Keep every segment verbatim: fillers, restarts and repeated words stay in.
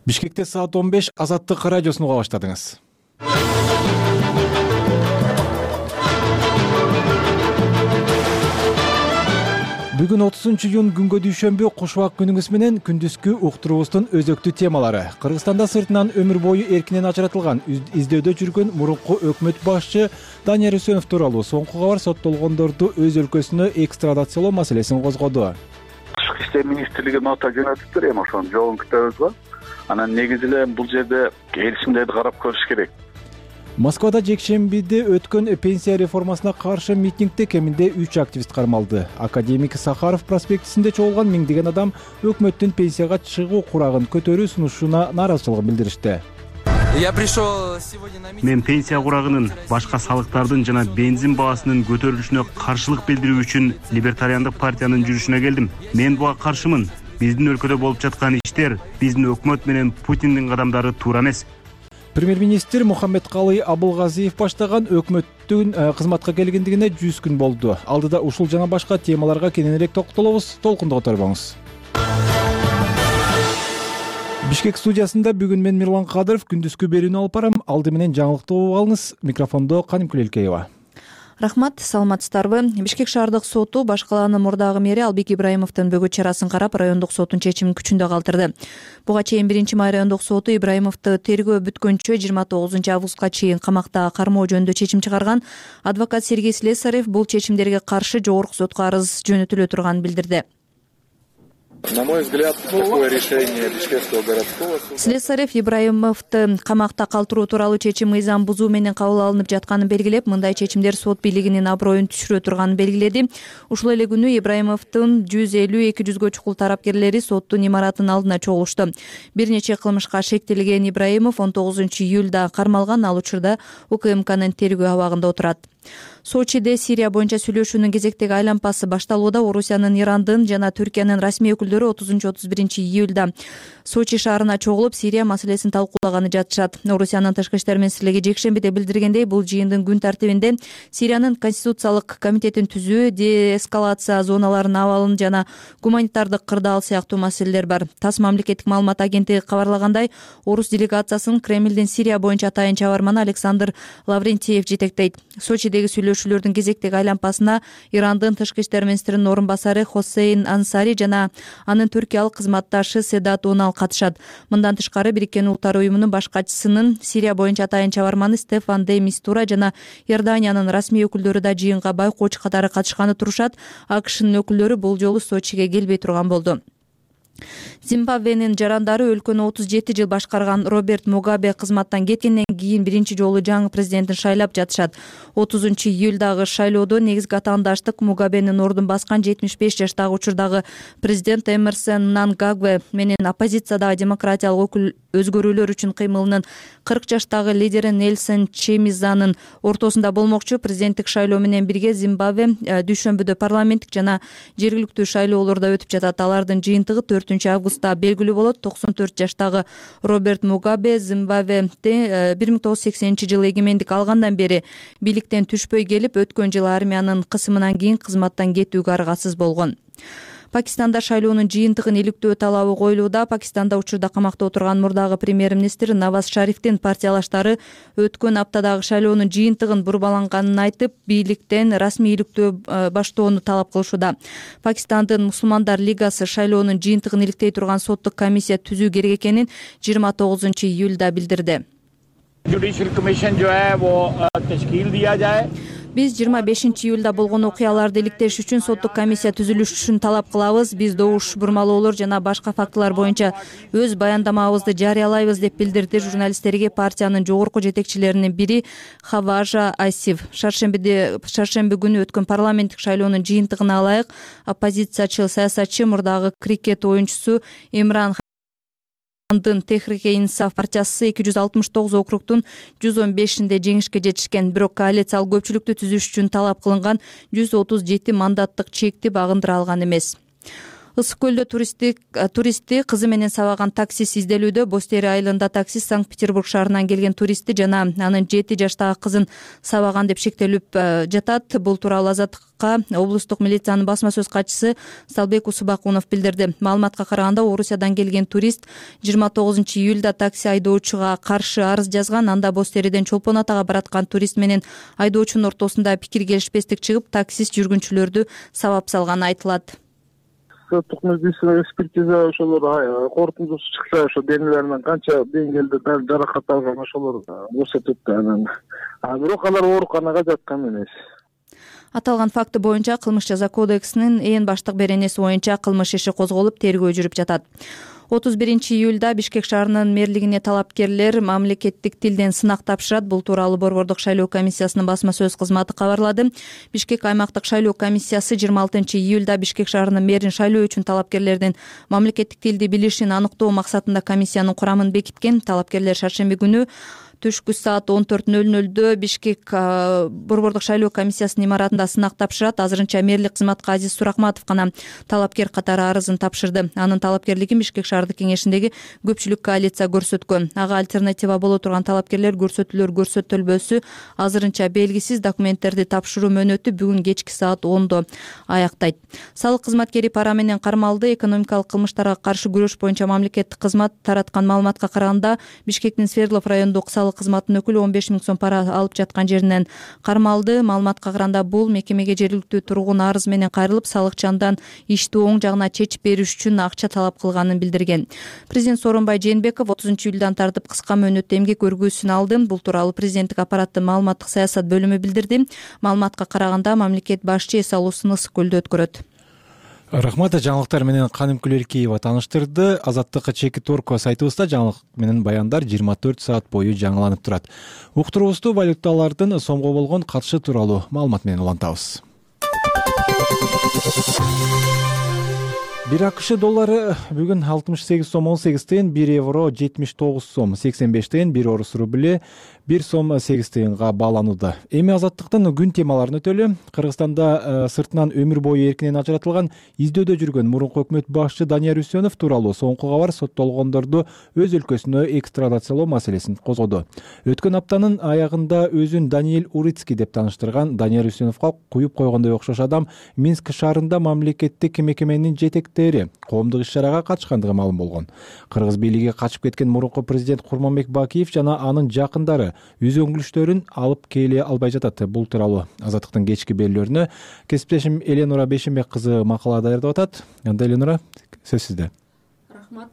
Бишкекте саат он беш Азаттык радиосун уга баштадыңыз. Бүгүн отузунчу июнь күнгө дүйшөмбү куш убак күнүңүз менен күндүзгү уктуруубуздун өзөктүү темалары. Кыргызстанда сыртынан өмүр бою эркинен ажыратылган издөдө жүргөн мурунку өкмөт башчы Данияр Үсөнов тууралуу соңку кабар соттолгондорду өз өлкөсүнө экстрадациялоо маселесин козгоду. Тышкы иштер министрлиги нота жөнөтүптүр, эми ошонун жообун күтөбүз го. Анан негизи эле бул жерде келишимдерди карап көрүш керек. Москвада жекшембиде өткөн пенсия реформасына каршы митингде кеминде үч активист кармалды. Академик Сахаров проспектисинде чогулган миңдеген адам өкмөттүн пенсияга чыгуу курагын көтөрүү сунушуна нааразычылыгын билдиришти. Мен пенсия курагынын, башка салыктардын жана бензин баасынын көтөрүлүшүнө каршылык билдирүү үчүн Либертариандык партиянын жүрүшүнө келдим. Мен буга каршымын. Биздин өлкөдө болуп жаткан иштер биздин өкмөт менен Путиндин кадамдары туура эмес. Премьер-министр Мухаммедкалый Абылгазиев баштаган өкмөттүн кызматка келгендигине жүз күн болду. Алдыда ушул жана башка темаларга кененирээк токтолобуз. Толкунду которбоңуз. Бишкек студиясында бүгүн мен Мирлан Кадыров күндүзгү берүүнү алып барам. Алды менен жаңылыкты угуп алыңыз. Микрофондо Канимкүл Элкеева. Рахмат, саламатсыздарбы? Бишкек шаардык соту баш калаанын мурдагы мэри Албек Ибраимовдун бөгөт чарасын карап, райондук соттун чечимин күчүндө калтырды. Буга чейин биринчи май райондук соту Ибраимовду тергөө бүткөнчө жыйырма тогузунчу августка чейин камакта кармоо жөнүндө чечим чыгарган. Адвокат Сергей Слесарев бул чечимдерге каршы жогорку сотко арыз жөнөтүлө турганын билдирди. На мой взгляд, такое решение Бишкекского городского суда. Слесарев Ибраимовду камакта калтыруу тууралуу чечим мыйзам бузуу менен кабыл алынып жатканын белгилеп, мындай чечимдер сот бийлигинин аброюн түшүрө турганын белгиледи. Ушул эле күнү Ибраимовдун жүз элүү эки жүзгө чукул тарапкерлери соттун имаратынын алдына чогулушту. Бир нече кылмышка шектелген Ибраимов он тогузунчу июлда кармалган, ал учурда УКМКнын тергөө абагында отурат. Сочиде Сирия боюнча сүйлөшүүнүн кезектеги айланпасы башталууда. Орусиянын, Ирандын жана Түркиянын расмий өкүлдөрү отузунчу отуз биринчи июлда Сочи шаарына чогулуп, Сирия маселесин талкуулаганы жатышат. Орусиянын тышкы иштер министрлиги жекшембиде билдиргендей, бул жыйындын күн тартибинде Сириянын конституциялык комитетин түзүү, деэскалация зоналарынын абалын жана гуманитардык кырдаал сыяктуу маселелер бар. ТАСС мамлекеттик маалымат агенттиги кабарлагандай, орус делегациясын Кремлдин Сирия боюнча атайын чабарманы Александр Лаврентьев жетектейт. Сочидеги сүйлөшүүлөрдүн кезектеги айланпасына Ирандын тышкы иштер министринин орун басары Хосейн Ансари жана анын түркиялык кызматташы Седат Онал катышат. Мындан тышкары Бириккен Улуттар уюмунун баш катчысынын Сирия боюнча атайын чабарманы Стефан де Мистура жана Иорданиянын расмий өкүлдөрү да жыйынга байкоочу катары катышканы турушат. АКШнын өкүлдөрү бул жолу Сочиге келбей турган болду. Зимбабвенин жарандары өлкөнү отуз жети жыл башкарган Роберт Мугабе кызматтан кеткенден кийин биринчи жолу жаңы президентин шайлап жатышат. отузунчу июлдагы шайлоодо негизги атаандаштык Мугабенин ордун баскан жетимиш беш жаштагы учурдагы президент Эмерсон Мнангагве менен оппозициядагы демократиялык өзгөрүүлөр үчүн кыймылынын кырк жаштагы лидери Нельсон Чемизанын ортосунда болмокчу. Президенттик шайлоо менен бирге Зимбабве дүйшөмбүдө парламенттик жана жергиликтүү шайлоолор да өтүп жатат. Алардын жыйынтыгы төртүнчү августта белгилүү болот. токсон төрт жаштагы Роберт Мугабе Зимбабведе бир миң тогуз жүз сексенинчи жылы эгемендик алгандан бери бийликтен түшпөй келип, өткөн жылы армиянын кысымынан кийин кызматтан кетүүгө аргасыз болгон. Пакистанда шайлоонун жыйынтыгын иликтөө талабы коюлууда. Пакистанда учурда камакта отурган мурдагы премьер-министр Наваз Шарифтин партиялаштары өткөн аптадагы шайлоонун жыйынтыгын бурбаланганын айтып, бийликтен расмий иликтөө баштоону талап кылышууда. Пакистандын Мусулмандар лигасы шайлоонун жыйынтыгын иликтей турган соттук комиссия түзүү керек экенин жыйырма тогузунчу июлда билдирди. Биз жыйырма бешинчи июлда болгон окуяларды иликтеш үчүн соттук комиссия түзүлүшүн талап кылабыз. Биз добуш бурмалоолор жана башка фактылар боюнча өз баяндамабызды жарыялайбыз, деп билдирди журналисттерге партиянын жогорку жетекчилеринин бири Хаважа Асиф. Шаршембиде шаршемби күнү өткөн парламенттик шайлоонун жыйынтыгына ылайык оппозициячы саясатчы мурдагы крикет оюнчусу Имран Андын Техрике-Инсаф партиясы эки жүз алтымыш тогуз округдун жүз он бешинде жеңишке жетишкен. Бирок коалициялык көпчүлүктү түзүш үчүн талап кылынган жүз отуз жети мандаттык чекти багындыра алган эмес. Ысык көлдө туристтик туристти кызы менен сабаган таксист изделүүдө. Бостери айылында таксист Санкт-Петербург шаарынан келген туристти жана анын жети жаштагы кызын сабаган деп шектелип жатат. Бул тууралуу Азаттыкка облустук милициянын басма сөз катчысы Салбек Усубакунов билдирди. Маалыматка караганда, Орусиядан келген турист жыйырма тогузунчу июлда такси айдоочуга каршы арыз жазган. Анда Бостериден Чолпон Атага бараткан турист менен айдоочунун ортосунда пикир келишпестик чыгып, таксист жүргүнчүлөрдү сабап салганы айтылат. Соттук медицина экспертиза ошолор корутундусу чыкса, ошо денелеринен канча деңгээлде жаракат алган ошолор көрсөтөт да. Анан бирок алар ооруканага жаткан эмес. Аталган факты боюнча Кылмыш жаза кодексинин ээн баштык беренеси боюнча кылмыш иши козголуп, тергөө жүрүп жатат. отуз биринчи июлда Бишкек шаарынын мэрлигине талапкерлер мамлекеттик тилден сынак тапшырат. Бул тууралуу Борбордук шайлоо комиссиясынын басма сөз кызматы кабарлады. Бишкек аймактык шайлоо комиссиясы жыйырма алтынчы июлда Бишкек шаарынын мэрин шайлоо үчүн талапкерлердин мамлекеттик тилди билишин аныктоо максатында комиссиянын курамын бекиткен. Талапкерлер шаршемби күнү түшкү саат он төрт ноль нолдо Бишкек Борбордук шайлоо комиссиясынын имаратында сынак тапшырат. Азырынча мэрлик кызматка Азиз Суракматов гана талапкер катары арызын тапшырды. Анын талапкерлигин Бишкек шаардык кеңешиндеги көпчүлүк коалиция көрсөткөн. Ага альтернатива боло турган талапкерлер көрсөтүлөр көрсөтүлбөсү азырынча белгисиз. Документтерди тапшыруу мөөнөтү бүгүн кечки саат ондо аяктайт. Салык кызматкери пара менен кармалды. Экономикалык кылмыштарга каршы күрөш боюнча мамлекеттик кызмат тараткан маалыматка караганда, Бишкектин Свердлов райондук салык кызматынын өкүлү он беш миң сом пара алып жаткан жеринен кармалды. Маалыматка караганда, бул мекемеге жергиликтүү тургун арыз менен кайрылып, салыкчандан ишти оң жагына чечип бериш үчүн акча талап кылганын билдирген. Президент Сооронбай Жээнбеков отузунчу июлдан тартып кыска мөөнөттө эмгек өргүүсүн алды. Бул тууралуу президенттик аппараттын маалыматтык саясат бөлүмү билдирди. Маалыматка караганда, мамлекет башчы эс алуусун Ысык көлдө өткөрөт. Рахмат. Жаңылыктар менен Каным Күлеркиева тааныштырды. Азаттыкка чеки торко сайтыбызда жаңылык менен баяндар жыйырма төрт саат бою жаңыланып турат. Уктуруубузду валюталардын сомго болгон катышы тууралуу маалымат менен улантабыз. Бир АКШ доллары бүгүн алтымыш сегиз сом он сегиз тыйын, бир евро жетимиш тогуз сом сексен беш тыйын, бир орус рубли бир сом сегиз тыйынга бааланууда. Эми Азаттыктын күн темаларын өтөлү. Кыргызстанда сыртынан өмүр бою эркинен ажыратылган издөөдө жүргөн мурунку өкмөт башчы Данияр Үсөнов тууралуу соңку кабар соттолгондорду өз өлкөсүнө экстрадациялоо маселесин козгоду. Өткөн аптанын аягында өзүн Даниэль Урицкий деп тааныштырган Данияр Үсөновго куюп койгондой окшош адам Минск шаарында мамлекеттик мекеменин жетектери коомдук иш-чарага катышкандыгы маалым болгон. Кыргыз бийлиги качып кеткен мурунку президент Курманбек Бакиев жана анын жакындары үзөңгүлүштөрүн алып келе албай жатат. Бул тууралуу Азаттыктын кечки берүүлөрүнө кесиптешим Эленура Бешенбек кызы макала даярдап атат. Анда Эленура, сөз сизде. Рахмат.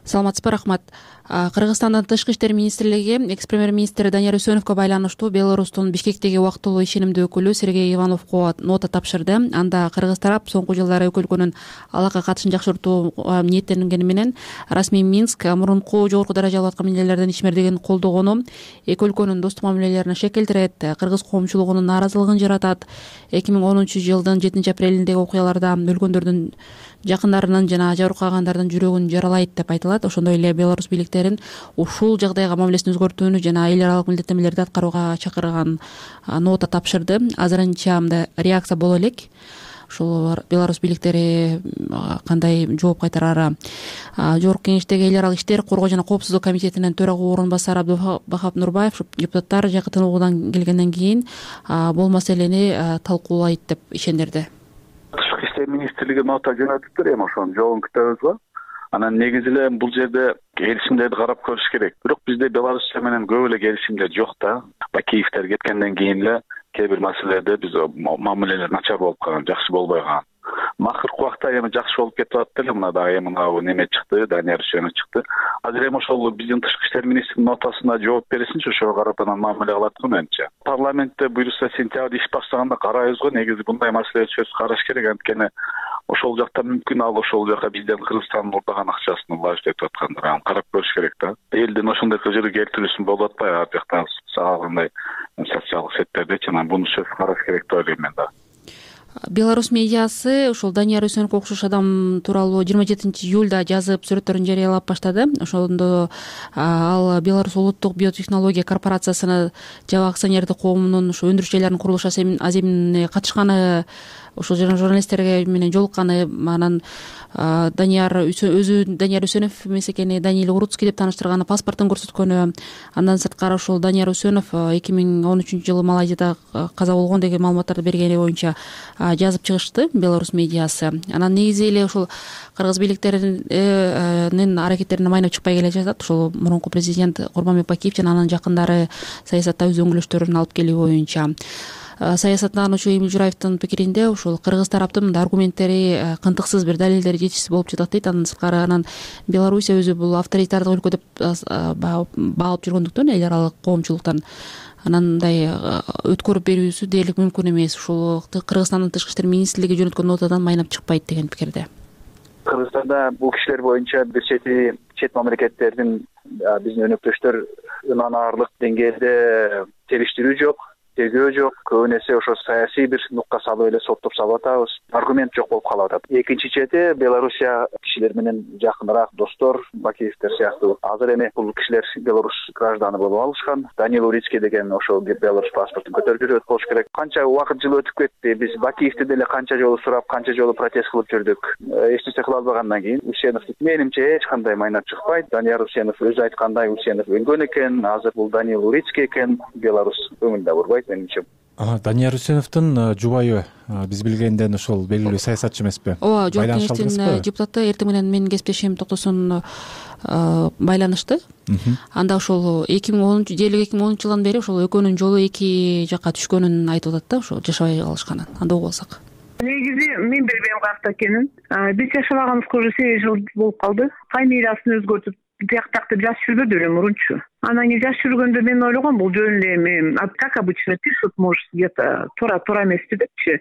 Саламатсызбы? Рахмат. Кыргызстандын тышкы иштер министрлиги экс-премьер-министр Данияр Үсөновго байланыштуу Беларустун Бишкектеги убактылуу ишенимдүү өкүлү Сергей Ивановго нота тапшырды. Анда кыргыз тарап соңку жылдары эки өлкөнүн алака катышын жакшыртууга ниеттенгени менен расмий Минск мурунку жогорку даражалуу аткаминерлердин ишмердигин колдогону эки өлкөнүн достук мамилелерине шек келтирет, кыргыз коомчулугунун нааразылыгын жаратат. эки миң онунчу жылдын жетинчи апрелиндеги окуяларда өлгөндөрдүн жакындарынын жана жабыркагандардын жүрөгүн жаралайт деп айтылат. Ошондой эле Беларусь бийликтерин ушул жагдайга мамилесин өзгөртүүнү жана эл аралык милдеттенмелерди аткарууга чакырган нота тапшырды. Азырынча мындай реакция боло элек. Ушул Беларусь бийликтери кандай жооп кайтарары. Жогорку кеңештеги эл аралык иштер, коргоо жана коопсуздук комитетинин төрага орун басары Абдубахап Нурбаев депутаттар жакын тыныгуудан келгенден кийин бул маселени талкуулайт деп ишендирди. Тышкы иштер министрлиги нота жөнөтүптүр эми ошонун жообун күтөбүз. Анан негизи эле бул жерде келишимдерди карап көрүш керек. Бирок бизде Беларусь менен көп эле келишимдер жок да. Бакиевтер кеткенден кийин эле кээ бир маселелерде биз мамилелер начар болуп калган, жакшы болбой калган. Макыркы убакта эми жакшы болуп кетип атты эле. Мына дагы эми мына неме чыкты, Данияр Үсөнов чыкты. Азыр эми ошол биздин тышкы иштер министринин нотасына жооп берсинчи, ошого карап анан мамиле кылат го менимче. Парламентте буюрса сентябрь иш баштаганда карайбыз го, негизи мындай маселе чөз караш керек. Анткени ошол жакта мүмкүн ал ошол жака бизден Кыргызстандын урдаган акчасын улажып этип аткандыр. Аны карап көрүш керек да. Элдин ошондой көзөрү келтирүүсүн болуп атпайбы ар жакта сагагандай социалдык сеттердечи, анан буну сөз караш керек деп ойлойм мен да. Беларусь медиасы ушул Данияр Үсөновго окшош адам тууралуу жыйырма жетинчи июлда жазып сүрөттөрүн жарыялап баштады. Ошондо ал Беларусь улуттук биотехнология корпорациясына жабык акционердик коомунун ушу өндүрүшчүлөрүнүн курулуш аземине катышканы ошол журналисттерге менен жолукканы, анан Данияр өзү Данияр Үсөнов эмес экени, Даниил Уруцкий деп тааныштырганы, паспортун көрсөткөнү. Андан сырткары ошол Данияр Үсөнов эки миң он үчүнчү жылы Малайзияда каза болгон деген маалыматтарды бергени боюнча жазып чыгышты Беларусь медиасы. Анан негизи эле ошол кыргыз бийликтеринин аракеттерине майнап чыкпай келе жатат. Ошол мурунку президент Курманбек Бакиев жана анын жакындары саясатта өз өңүлөштөрүн алып келүү боюнча. Саясаттануучу Эмил Жураевдин пикиринде ошол кыргыз тараптын аргументтери кантыксыз, бир далилдери жетишсиз болуп жатат дейт. Андан сырткары анан Белоруссия өзү бул авторитардык өлкө деп баалап жүргөндүктөн, эл аралык коомчулуктан анандай өткөрүп берүүсү дээрлик мүмкүн эмес. Ушул Кыргызстандын тышкы иштер министрлиги жөнөткөн нотадан майнап чыкпайт деген пикирде. Кыргызстанда бул кишилер боюнча бир чети чет мамлекеттердин биздин өнөктөштөр ынанарлык деңгээлде териштирүү жок, тергөө жок. Көбүн эсе ошо саясий бир нукка салып эле соттоп салып атабыз. Аргумент жок болуп калып атат. Экинчи чети Белоруссия кишилер менен жакыныраак достор, Бакиевдер сыяктуу. Азыр эми бул кишилер Беларусь гражданы болуп алышкан. Даниил Уруцкий деген ошол Беларусь паспортун көтөрүп жүрөт болуш керек. Канча убакыт жыл өтүп кетти. Биз Бакиевди деле канча жолу сурап, канча жолу протест кылып жүрдүк. Эч нерсе кыла албагандан кийин Үсенов менимче эч кандай майнап чыкпайт. Данияр Үсенов өзү айткандай, Үсенов өлгөн экен. Азыр бул Даниил Уруцкий экен. Беларусь көңүл да бурбайт менимче. Данияр Үсеновдун жубайы биз билгенден ошол белгилүү саясатчы эмеспи? Ооба, жогорку кеңештин депутаты эртең менен менин кесиптешим Токтосун байланышты. Анда ошол эки миң онунчу дээрлик эки миң онунчу жылдан бери ошол экөөнүн жолу эки жакка түшкөнүн айтып атат да, ошо жашабай калышканын. Анда угуп алсак. Негизи мен билбейм каякта экенин. Биз жашабаганыбызга уже сегиз жыл болуп калды. Фамилиясын өзгөртүп тияктактып жазып жүрбөдү эле мурунчу. Анан кийин жазып жүргөндө мен ойлогом, бул жөн эле эми как обычно пишут, может где-то туура туура эмеспи депчи.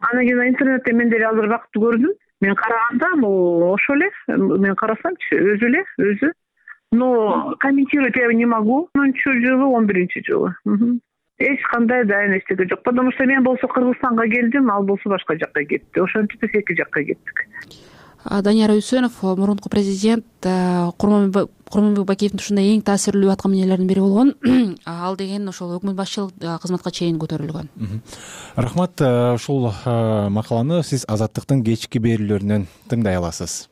Анан кийин интернетте мен деле азыр бакытты көрдүм. Мен караганда бул ошол эле. Мен карасамчы өзү эле, өзү. Но комментировать я не могу. онунчу жылы, он биринчи жылы. Эч кандай да эчтеке жок. Потому что мен болсо Кыргызстанга келдим, ал болсо башка жакка кетти. Ошентип биз эки жакка кеттик. Данияр Үсөнов мурунку президент Курманбек Бакиевдин ушундай эң таасирлүү аткаминелердин бири болгон. Ал деген ошол өкмөт башчылык кызматка чейин көтөрүлгөн. Рахмат. Ушул макаланы сиз Азаттыктын кечки берүүлөрүнөн тыңдай аласыз.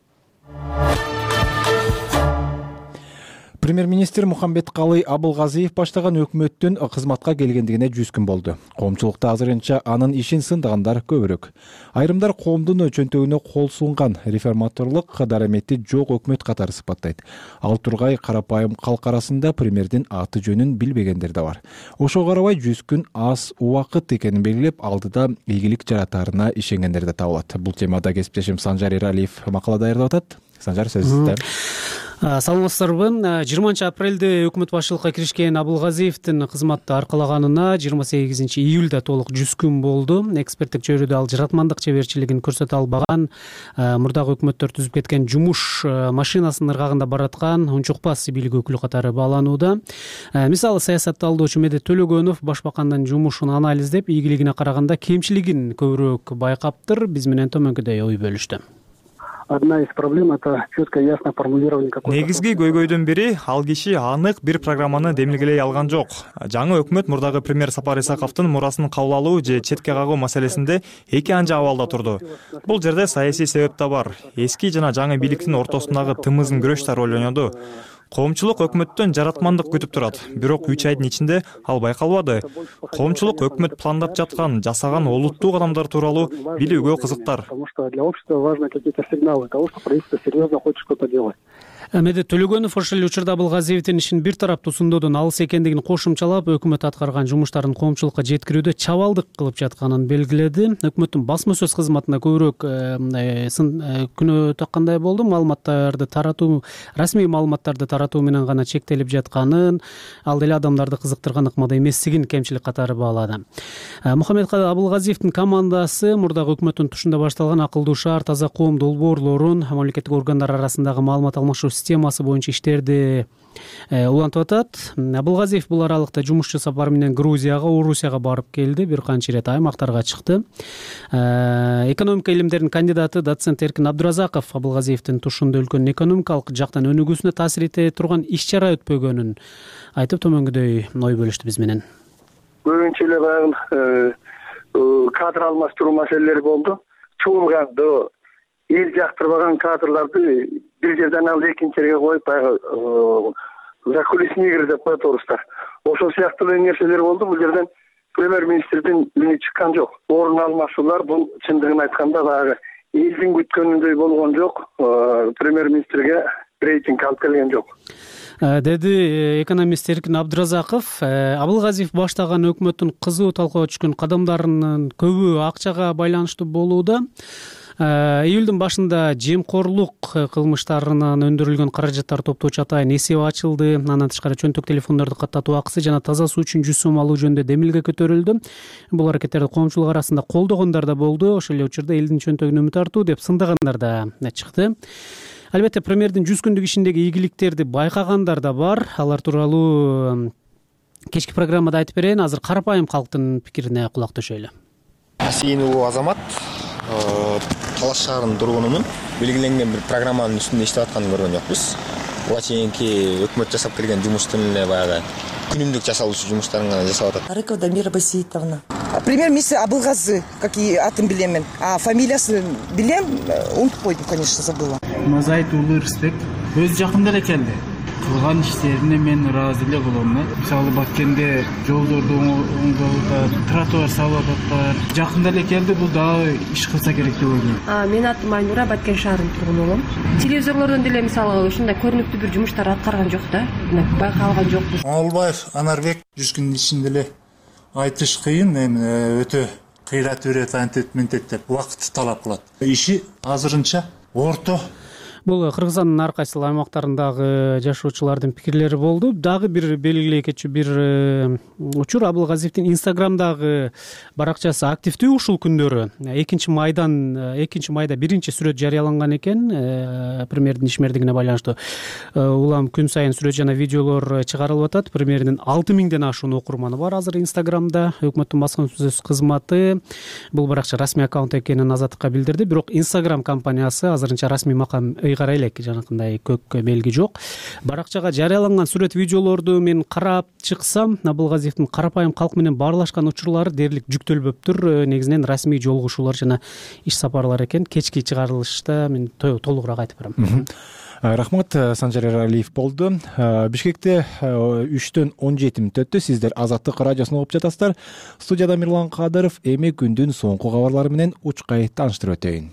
Премьер-министр Мухамбеткалый Абылгазиев баштаган өкмөттүн кызматка келгендигине жүз күн болду. Коомчулукта азырынча анын ишин сындагандар көбүрөөк. Айрымдар коомдун чөнтөгүнө кол сунган, реформаторлук дарамети жок өкмөт катары сыпаттайт. Ал тургай карапайым калк арасында премьердин аты жөнүн билбегендер да бар. Ошого карабай жүз күн аз убакыт экенин белгилеп, алдыда ийгилик жаратаарына ишенгендер да табылат. Бул темада кесиптешим Санжар Эралиев макала даярдап атат. Санжар, сөз сизде. Саламатсыздарбы. жыйырманчы апрелде өкмөт башчылыкка киришкен Абылгазиевдин кызматты аркалаганына жыйырма сегизинчи июлда толук жүз күн болду. Эксперттик чөйрөдө ал жаратмандык чеберчилигин көрсөтө албаган, мурдагы өкмөттөр түзүп кеткен жумуш машинасынын ыргагында бараткан унчукпас бийлик өкүлү катары бааланууда. Мисалы, саясатты алдоочу Медет Төлөгөнов башбакандын жумушун анализдеп, ийгилигине караганда кемчилигин көбүрөөк байкаптыр. Биз менен төмөнкүдөй ой бөлүштү. Одна из проблем — это четкое, ясно формулирование какой-то. Негизги көйгөйдүн бири, ал киши анык бир программаны демилгелей алган жок. Жаңы өкмөт мурдагы премьер Сапар Исаковдун мурасын кабыл алуу же четке кагуу маселесинде эки анча абалда турду. Бул жерде саясий себеп да бар. Эски жана жаңы бийликтин ортосундагы тымызын күрөш да роль ойноду. Коомчулук өкмөттөн жаратмандык күтүп турат, бирок үч айдын ичинде ал байкалбады. Коомчулук өкмөт пландап жаткан, жасаган олуттуу кадамдар тууралуу билүүгө кызыктар. Потому что для общества важны какие-то сигналы того, что правительство серьезно хочет что-то делать. Медет Төлөгөнов ошол эле учурда Абылгазиевдин ишин бир тараптуу сундоодон алыс экендигин кошумчалап, өкмөт аткарган жумуштарын коомчулукка жеткирүүдө чабалдык кылып жатканын белгиледи. Өкмөттүн басма сөз кызматына көбүрөөк күнөө таккандай болду. Маалыматтарды таратуу, расмий маалыматтарды таратуу менен гана чектелип жатканын, ал деле адамдарды кызыктырган ыкмада эместигин кемчилик катары баалады. Мухамбеткалый Абылгазиевдин командасы мурдагы өкмөттүн тушунда башталган акылдуу шаар, таза коом долбоорлорун, мамлекеттик органдар арасындагы маалымат алмашуу системасы боюнча иштерди улантып атат. Абылгазиев бул аралыкта жумушчу сапар менен Грузияга, Орусияга барып келди, бир канча ирет аймактарга чыкты. Экономика илимдеринин кандидаты доцент Эркин Абдуразаков Абылгазиевдин тушунда өлкөнүн экономикалык жактан өнүгүүсүнө таасир эте турган иш-чара өтпөгөнүн айтып, төмөнгөдөй ой бөлүштү биз менен. Көбүнчө эле баягы кадр алмаштыруу маселелери болду. Чуулган эл жактырбаган кадрларды бир жерден алып экинчи жерге коюп баягы закулисный игры деп коет орустар. Ошол сыяктуу нерселер болду. Бул жерден премьер-министрдин үнү чыккан жок. Орун алмашуулар бул чындыгын айтканда баягы элдин күткөнүндөй болгон жок. Премьер-министрге рейтинг алып келген жок, деди экономист Эркин Абдыразаков. Абылгазиев баштаган өкмөттүн кызуу талкууга түшкөн кадамдарынын көбү акчага байланыштуу болууда. Июлдун башында жемкорлук кылмыштарынан өндүрүлгөн каражаттар топтоочу атайын эсеп ачылды. Андан тышкары чөнтөк телефондорду каттатуу акысы жана таза суу үчүн жүз сом алуу жөнүндө демилге көтөрүлдү. Бул аракеттерди коомчулук арасында колдогондар да болду. Ошол эле учурда элдин чөнтөгүн үмүт артуу деп сындагандар да чыкты. Албетте премьердин жүз күндүк ишиндеги ийгиликтерди байкагандар да бар. Алар тууралуу кечки программада айтып берейин. Азыр карапайым калктын пикирине кулак төшөйлү. Асийин уулу Азамат, Талаш шаарынын тургунумун. Белгиленген бир программанын үстүндө иштеп атканын көргөн жокпуз. Буга чейинки өкмөт жасап келген жумуштун эле баягы күнүмдүк жасалуучу жумуштарын гана жасап атат. Арыкова Дамира Басиитовна. Премьер-министр Абылгазы, как и атын билем мен. А фамилиясын билем, унутуп койдум, конечно, забыла. Мазайт уулу Ирсбек өз жакында эле келди. Кылган иштерине мен ыраазы эле болом. Мисалы Баткенде жолдорду оңдоп, тротуар салып атат. Жакында эле келди, бул дагы иш кылса керек деп ойлойм. Мен атым Айнура, Баткен шаарынын тургуну болом. Телевизорлордон деле мисалы ушундай көрүнүктүү бир жумуштар аткарган жок да. Байкалган жокпуз. Оңолбаев Анарбек жүз күндүн ичинде эле айтыш кыйын, эми өтө кыйрат үрөт антет ментет деп убакыт талап кылат. Иши азырынча орто. Бул Кыргызстандын ар кайсы аймактарындагы жашоочулардын пикирлери болду. Дагы бир белгилей кетчү бир учур, Абылгазиевдин Инстаграмдагы баракчасы активдүү ушул күндөрү. экинчи майдан экинчи майда биринчи сүрөт жарыяланган экен. Премьердин ишмердигине байланыштуу улам күн сайын сүрөт жана видеолор чыгарылып атат. Премьердин алты миңден ашуун окурманы бар азыр Инстаграмда. Өкмөттүн баскынсөз кызматы бул баракча расмий аккаунт экенин Азаттыкка билдирди. Бирок Инстаграм компаниясы азырынча расмий макам ыйгара элек, жанакындай көк белги жок. Баракчага жарыяланган сүрөт видеолорду мен карап чыксам, Абылгазиевдин карапайым калк менен баарлашкан учурлары дээрлик жүктөлбөптүр. Негизинен расмий жолугушуулар жана иш сапарлар экен. Кечки чыгарылышта мен толугураак айтып берем. Рахмат, Санжар Эралиев болду. Бишкекте үчтөн он жети мүнөт өттү. Сиздер Азаттык радиосун угуп жатасыздар. Студияда Мирлан Кадыров. Эми күндүн соңку кабарлары менен учкай тааныштырып өтөйүн.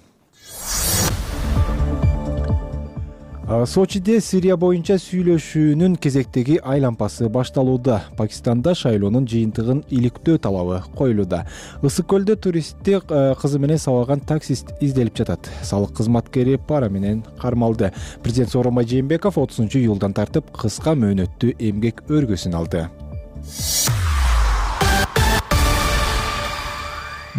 Сочиде Сирия боюнча сүйлөшүүнүн кезектеги айлампасы башталууда. Пакистанда шайлоонун жыйынтыгын иликтөө талабы коюлууда. Ысык көлдө туристти кызы менен сабаган таксист изделип жатат. Салык кызматкери пара менен кармалды. Президент Сооронбай Жээнбеков отузунчу июлдан тартып кыска мөөнөттүү эмгек өргөсүн алды.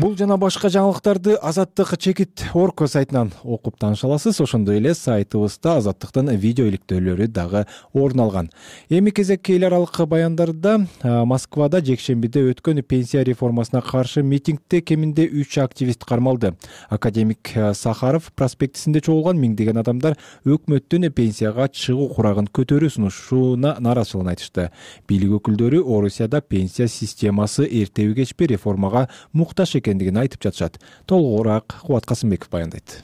Бул жана башка жаңылыктарды Азаттык чекит орко сайтынан окуп тааныша аласыз. Ошондой эле сайтыбызда Азаттыктын видео иликтөөлөрү дагы орун алган. Эми кезекке эл аралык баяндарда Москвада жекшембиде өткөн пенсия реформасына каршы митингде кеминде үч активист кармалды. Академик Сахаров проспектисинде чогулган миңдеген адамдар өкмөттүн пенсияга чыгуу курагын көтөрүү сунушуна нааразычылыгын айтышты. Бийлик өкүлдөрү Орусияда пенсия системасы эртеби кечпи реформага муктаж экендигин айтып жатышат. Толугураак Кубат Касымбеков баяндайт.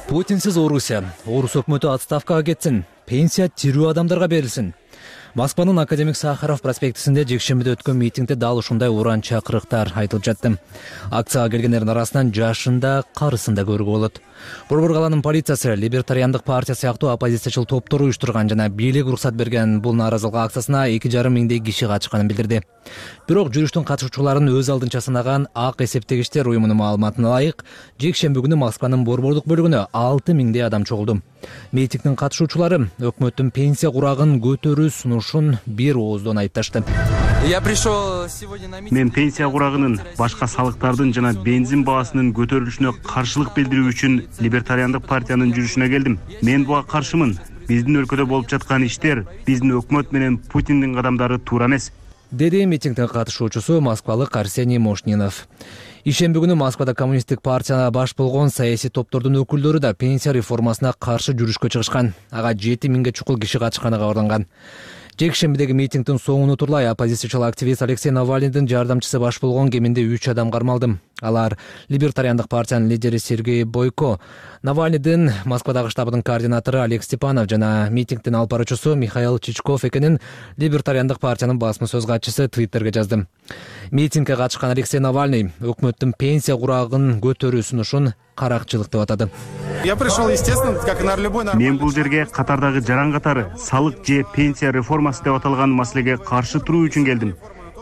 Путинсиз Орусия. Орус өкмөтү отставкага кетсин. Пенсия тирүү адамдарга берилсин. Москванын Академик Сахаров проспектисинде жекшембиде өткөн митингде дал ушундай уран чакырыктар айтылып жатты. Акцияга келгендердин арасынан жашын да, карысын да көрүүгө болот. Борбор каланын полициясы Либертариандык партия сыяктуу оппозициячыл топтор уюштурган жана бийлик уруксат берген бул нааразылык акциясына эки жарым миңдей киши катышканын билдирди. Бирок жүрүштүн катышуучуларын өз алдынча санаган Ак эсептегичтер уюмунун маалыматына ылайык, жекшемби күнү Москванын борбордук бөлүгүнө алты миңдей адам чогулду. Митингдин катышуучулары өкмөттүн пенсия курагын көтөрүү сунушун бир ооздон айыпташты. Мен пенсия курагынын, башка салыктардын жана бензин баасынын көтөрүлүшүнө каршылык билдирүү үчүн Либертариандык партиянын жүрүшүнө келдим. Мен буга каршымын. Биздин өлкөдө болуп жаткан иштер биздин өкмөт менен Путиндин кадамдары туура эмес, деди митингдин катышуучусу москвалык Арсений Мошнинов. Ишемби күнү Москвада коммунисттик партияна баш болгон саясий топтордун өкүлдөрү да пенсия реформасына каршы жүрүшкө чыгышкан. Ага жети миңге чукул киши катышканы кабарланган. Жекшембидеги митингдин соңуна турлай оппозициячыл активист Алексей Навальныйдын жардамчысы баш болгон кеминде үч адам кармалды. Алар Либертариандык партиянын лидери Сергей Бойко, Навальныйдын Москвадагы штабынын координатору Олег Степанов жана митингдин алып баруучусу Михаил Чичков экенин Либертариандык партиянын басма сөз катчысы Твиттерге жазды. Митингге катышкан Алексей Навальный өкмөттүн пенсия курагын көтөрүү сунушун каракчылык деп атады. Я пришел, естественно, как и на любой нормальный... Мен бул жерге катардагы жаран катары салык же пенсия реформасы деп аталган маселеге каршы туруу үчүн келдим.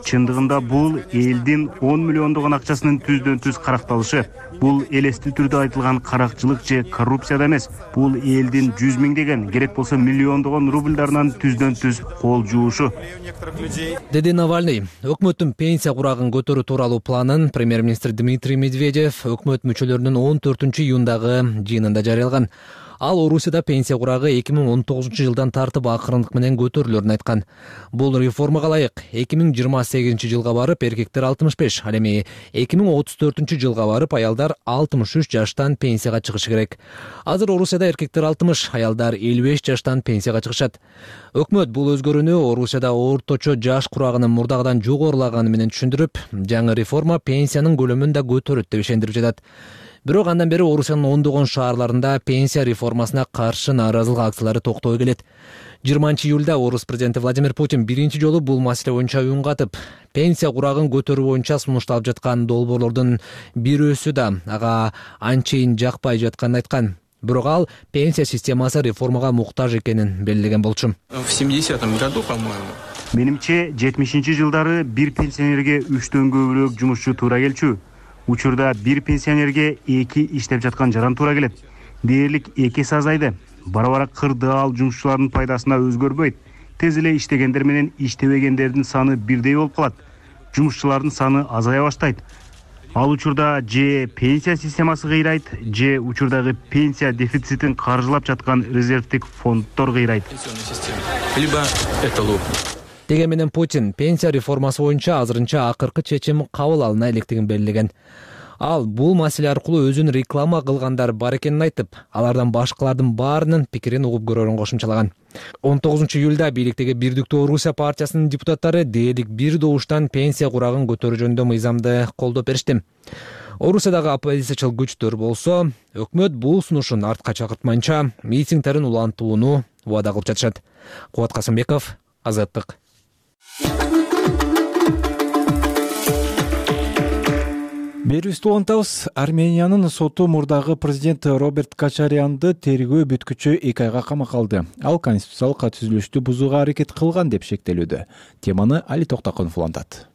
Чындыгында бул элдин он миллиондогон акчасынын түздөн түз каракталышы. Бул элестүү түрдө айтылган каракчылык же коррупция эмес. Бул элдин жүз миңдеген, керек болсо миллиондогон рубльдарынан түздөн түз кол жуушу. Деди Навальный. Өкмөттүн пенсия курагын көтөрүү тууралуу планын премьер-министр Дмитрий Медведев өкмөт мүчөлөрүнүн он төртүнчү июндагы жыйынында жарыялаган. Ал Орусияда пенсия курагы эки миң он тогузунчу жылдан тартып акырындык менен көтөрүлөрүн айткан. Бул реформага ылайык эки миң жыйырма сегизинчи жылга барып эркектер алтымыш беш, ал эми эки миң отуз төртүнчү жылга барып аялдар алтымыш үч жаштан пенсияга чыгышы керек. Азыр Орусияда эркектер алтымыш, аялдар элүү беш жаштан пенсияга чыгышат. Өкмөт бул өзгөрүүнү Орусияда орточо жаш курагынын мурдагыдан жогорулаганы менен түшүндүрүп, жаңы реформа пенсиянын көлөмүн да көтөрөт деп ишендирип жатат. Бирок андан бери Орусиянын ондогон шаарларында пенсия реформасына каршы нааразылык акциялары токтобой келет. жыйырманчы июлда Орус президенти Владимир Путин биринчи жолу бул маселе боюнча үн катып, пенсия курагын көтөрүү боюнча сунушталып жаткан долбоорлордун бирөөсү да ага анчейин жакпай жатканын айткан. Бирок ал пенсия системасы реформага муктаж экенин белгилеген болчу. В семидесятом году, по-моему. Менимче жетимишинчи жылдары бир пенсионерге үчтөн көбүрөөк жумушчу туура келчү. Учурда бир пенсионерге эки иштеп жаткан жаран туура келет. Дээрлик эки эсе азайды. Бара-бара кырдаал жумушчулардын пайдасына өзгөрбөйт. Тез эле иштегендер менен иштебегендердин саны бирдей болуп калат. Жумушчулардын саны азая баштайт. Ал учурда же пенсия системасы кыйрайт, же учурдагы пенсия дефицитин каржылап жаткан резервдик фонддор кыйрайт. Либо это лопнет. Деген менен Путин пенсия реформасы боюнча азырынча акыркы чечим кабыл алына электигин белгилеген. Ал бул маселе аркылуу өзүн реклама кылгандар бар экенин айтып, алардан башкалардын баарынын пикирин угуп көрөрүн кошумчалаган. он тогузунчу июлда бийликтеги Бирдиктүү Орусия партиясынын депутаттары дээрлик бир добуштан пенсия курагын көтөрүү жөнүндө мыйзамды колдоп беришти. Орусиядагы оппозициячыл күчтөр болсо, өкмөт бул сунушун артка чакыртмайынча митингдерин улантууну убада кылып жатышат. Кубат Касымбеков, Азаттык. Берүүбүздү улантабыз. Армениянын соту мурдагы президент Роберт Качарянды тергөө бүткүчү эки айга камакка алды. Ал конституциялык түзүлүштү бузууга аракет кылган деп шектелүүдө. Теманы Али Токтакунов улантат.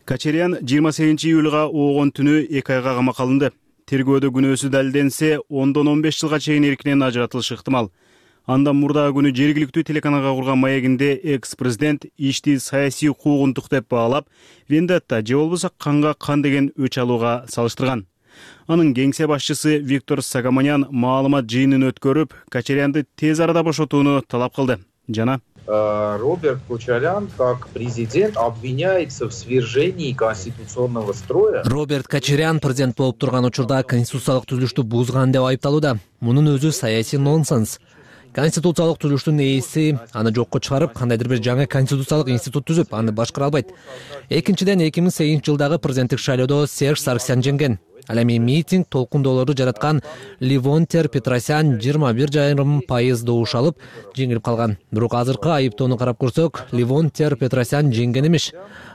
Качарян жыйырма сегизинчи июлга оогон түнү эки айга камакка алынды. Тергөөдө күнөөсү далилденсе, ондон он беш жылга чейин эркинен ажыратылышы ыктымал. Андан мурдагы күнү жергиликтүү телеканалга курган маегинде экс-президент ишти саясий куугунтук деп баалап, вендетта же болбосо канга кан деген өч алууга салыштырган. Анын кеңсе башчысы Виктор Сагаманян маалымат жыйынын өткөрүп, Качарянды тез арада бошотууну талап кылды. Жана Роберт Качарян, как президент, обвиняется в свержении конституционного строя. Роберт Качарян президент болуп турган учурда конституциялык түзүлүштү бузган деп айыпталууда. Мунун өзү саясий нонсенс. Конституциялык түзүлүштүн ээси аны жокко чыгарып, кандайдыр бир жаңы конституциялык институт түзүп, аны башкара албайт. Экинчиден, эки миң сегизинчи жылдагы президенттик шайлоодо Серж Сарксян жеңген. Ал эми митинг толкундоолорду жараткан Ливонтер Петросян жыйырма бир жарым пайыз добуш алып жеңилип калган. Бирок азыркы айыптоону карап көрсөк, Ливонтер Петросян жеңген эмес.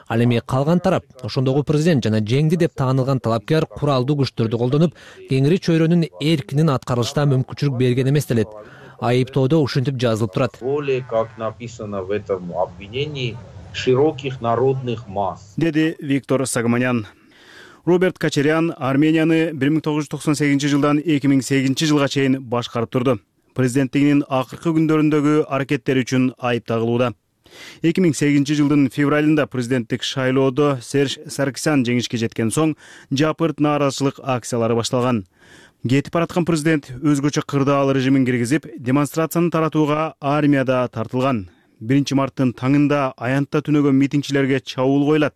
Ал эми калган тарап, ошондогу президент жана жеңди деп таанылган талапкер куралдуу күчтөрдү колдонуп, кеңири чөйрөнүн эркинин аткарылышына мүмкүнчүлүк берген эмес делет. Айыптоодо ушинтип жазылып турат. Более, как написано в этом обвинении, широких народных масс. Деди Виктор Сагаманян. Роберт Качарян Арменияны бир миң тогуз жүз токсон сегизинчи жылдан эки миң сегизинчи жылга чейин башкарып турду. Президенттигинин акыркы күндөрүндөгү аракеттери үчүн айып тагылууда. эки миң сегизинчи жылдын февралында президенттик шайлоодо Серж Сарксян жеңишке жеткен соң жапырт нааразычылык акциялары башталган. Кетип бараткан президент өзгөчө кырдаал режимин киргизип, демонстрацияны таратууга армияда тартылган. биринчи марттын таңында аянтта түнөгөн митингчилерге чабуул коюлат.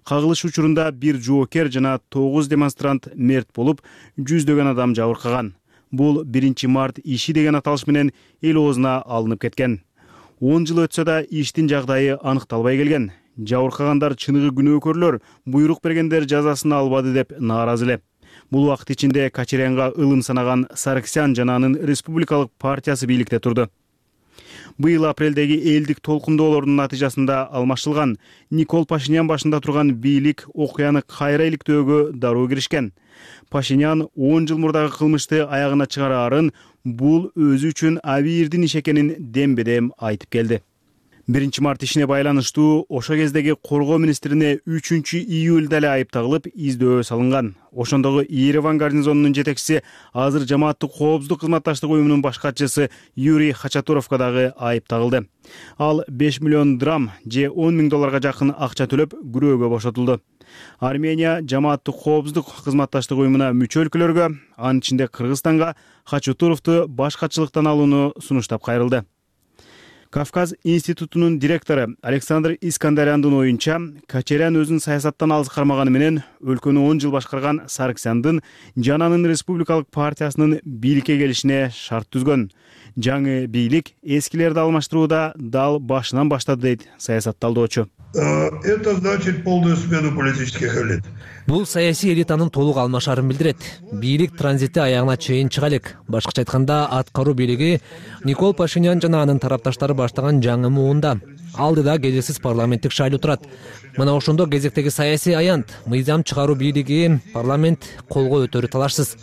Кагылыш учурунда бир жоокер жана тогуз демонстрант мерт болуп, жүздөгөн адам жабыркаган. Бул биринчи март иши деген аталыш менен эл оозуна алынып кеткен. он жыл өтсө да иштин жагдайы аныкталбай келген. Жабыркагандар чыныгы күнөөкөрлөр, буйрук бергендер жазасын албады деп нааразы эле. Бул убакыт ичинде Качарянга ылым санаган Саркисян жана анын Республикалык партиясы бийликте турду. Быйыл апрелдеги элдик толкундоолордун натыйжасында алмашылган Никол Пашинян башында турган бийлик окуяны кайра иликтөөгө дароо киришкен. Пашинян он жыл мурдагы кылмышты аягына чыгараарын бул өзү үчүн абийирдин иш экенин дембедем айтып келди. биринчи март ишине байланыштуу ошо кездеги коргоо министрине үчүнчү июлда эле айып тагылып издөө салынган. Ошондогу Ереван гарнизонунун жетекчиси, азыр жамааттык коопсуздук кызматташтык уюмунун баш катчысы Юрий Хачатуровго дагы айып тагылды. Ал беш миллион драм же он миң долларга жакын акча төлөп күрөөгө бошотулду. Армения жамааттык коопсуздук кызматташтык уюмуна мүчө өлкөлөргө, анын ичинде Кыргызстанга Хачатуровду баш катчылыктан алууну сунуштап кайрылды. Кавказ институтунун директору Александр Искандаряндын оюнча, Качарян өзүн саясаттан алыс кармаганы менен өлкөнү он жыл башкарган Саркисяндын жана анын Республикалык партиясынын бийликке келишине шарт түзгөн. Жаңы бийлик эскилерди алмаштырууда дал башынан баштады дейт саясатталдоочу. Это значит полную смену политических элит. Бул саясий элитанын толук алмашарын билдирет. Бийлик транзити аягына чейин чыга элек. Башкача айтканда, аткаруу бийлиги Никол Пашинян жана анын тарапташтары баштаган жаңы муунда. Алдыда кезексиз парламенттик шайлоо турат. Мына ошондо кезектеги саясий аянт, мыйзам чыгаруу бийлиги парламент колго өтөрү талашсыз.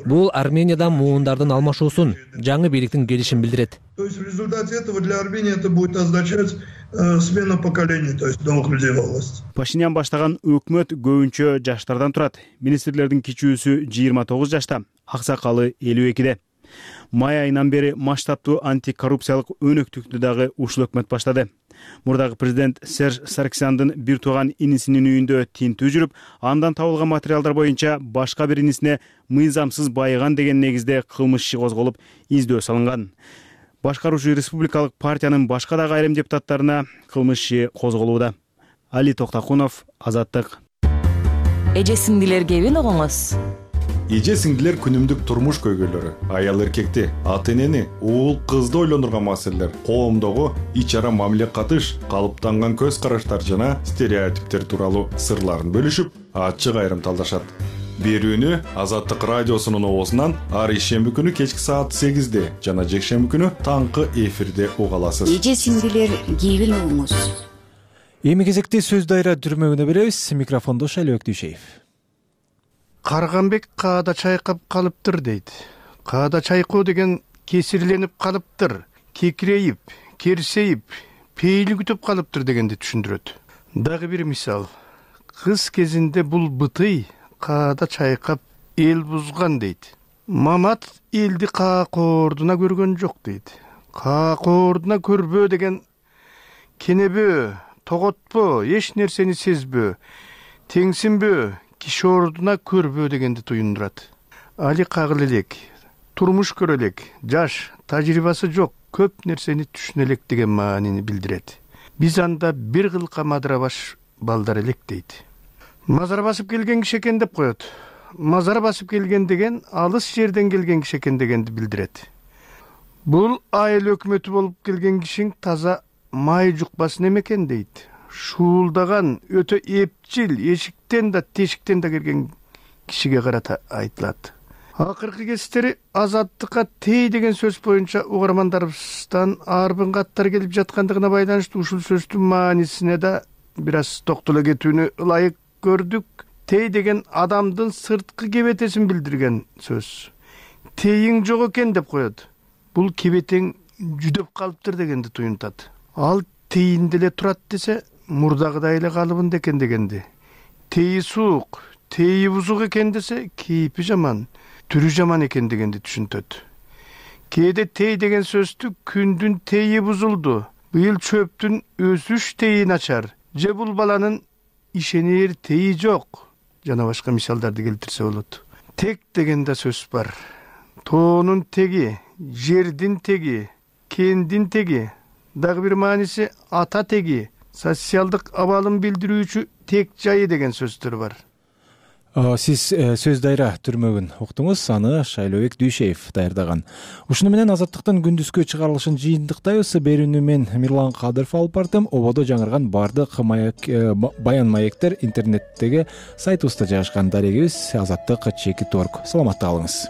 Бул Арменияда муундардын алмашуусун, жаңы бийликтин келишин билдирет. То есть в результате этого для Армении это будет означать э, смену поколений, то есть новых людей во власти. Пашинян баштаган өкмөт көбүнчө жаштардан турат. Министрлердин кичүүсү жыйырма тогуз жашта, аксакалы элүү экиде. Май айынан бери масштабтуу антикоррупциялык өнөктүктү дагы ушул өкмөт баштады. Мурдагы президент Серж Саркисяндын бир тууган инисинин үйүндө тинтүү жүрүп, андан табылган материалдар боюнча башка бир инисине мыйзамсыз байыган деген негизде кылмыш иши козголуп, издөө салынган. Башкаруучу Республикалык партиянын башка дагы айрым депутаттарына кылмыш иши козголууда. Али Токтакунов, Азаттык. Эже сиңдилер кебин огоңуз. Эже сиңдилер күнүмдүк турмуш көйгөйлөрү, аял эркекти, ата энени, уул кызды ойлондурган маселелер, коомдогу ич ара мамиле катыш, калыптанган көз караштар жана стереотиптер тууралуу сырларын бөлүшүп, ачык айрым талдашат. Берүүнү Азаттык радиосунун оозунан ар ишемби күнү кечки саат сегизде жана жекшемби күнү таңкы эфирде уга аласыз. Эже сиңдилер кебин огоңуз. Эми кезекте сөз дайра түрмөгүнө беребиз. Микрофондо Шайлыбек Дүйшеев. Карганбек каада чайкап калыптыр дейт. Каада чайкоо деген кесирленип калыптыр, кекирейип, керсейип, пейили күтүп калыптыр дегенди түшүндүрөт. Дагы бир мисал. Кыз кезинде бул бытый каада чайкап эл бузган дейт. Мамат элди каакоордуна көргөн жок дейт. Каакоордуна көрбөө деген кенебөө, тоготпо, эч нерсени сезбөө, теңсинбөө, киши ордуна көрбөө дегенди туюндурат. Али кагыл элек, турмуш көрө элек, жаш, тажрыйбасы жок, көп нерсени түшүнө элек деген маанини билдирет. Биз анда бир кылка мадыра баш балдар элек дейт. Мазар басып келген киши экен деп коет. Мазар басып келген деген алыс жерден келген киши экен дегенди билдирет. Бул айыл өкмөтү болуп келген кишиң таза май жукпасын экен дейт. Шуулдаган, өтө эпчил, эшиктен да, тешиктен да келген кишиге карата айтылат. Акыркы кездери Азаттыкка тей деген сөз боюнча угармандарыбыздан арбын каттар келип жаткандыгына байланыштуу ушул сөздүн маанисине да бир аз токтоло кетүүнү ылайык көрдүк. Тей деген адамдын сырткы кебетесин билдирген сөз. Тейиң жок экен деп коет. Бул кебетең жүдөп калыптыр дегенди туюнтат. Ал тейинде эле турат десе, мурдагыдай эле калыбында экен дегенди. Тейи суук, тейи бузук экен десе, кейпи жаман, түрү жаман экен дегенди түшүнтөт. Кээде тей деген сөздү күндүн тейи бузулду, быйыл чөптүн өсүш тейи начар, же бул баланын ишенер тейи жок, жана башка мисалдарды келтирсе болот. Тек деген да сөз бар. Тоонун теги, жердин теги, кендин теги, дагы бир мааниси ата теги, социалдык абалын билдирүүчү тек жайы деген сөздөр бар. Сиз сөз дайра түрмөгүн уктуңуз, аны Шайлообек Дүйшеев даярдаган. Ушуну менен Азаттыктын күндүзкү чыгарылышын жыйынтыктайбыз. Берүүнү мен Мирлан Кадыров алып бардым. Ободо жаңырган бардык маяк баян маектер интернеттеги сайтыбызда жайгашкан. Дарегибиз азаттык чекит орг. Саламатта калыңыз.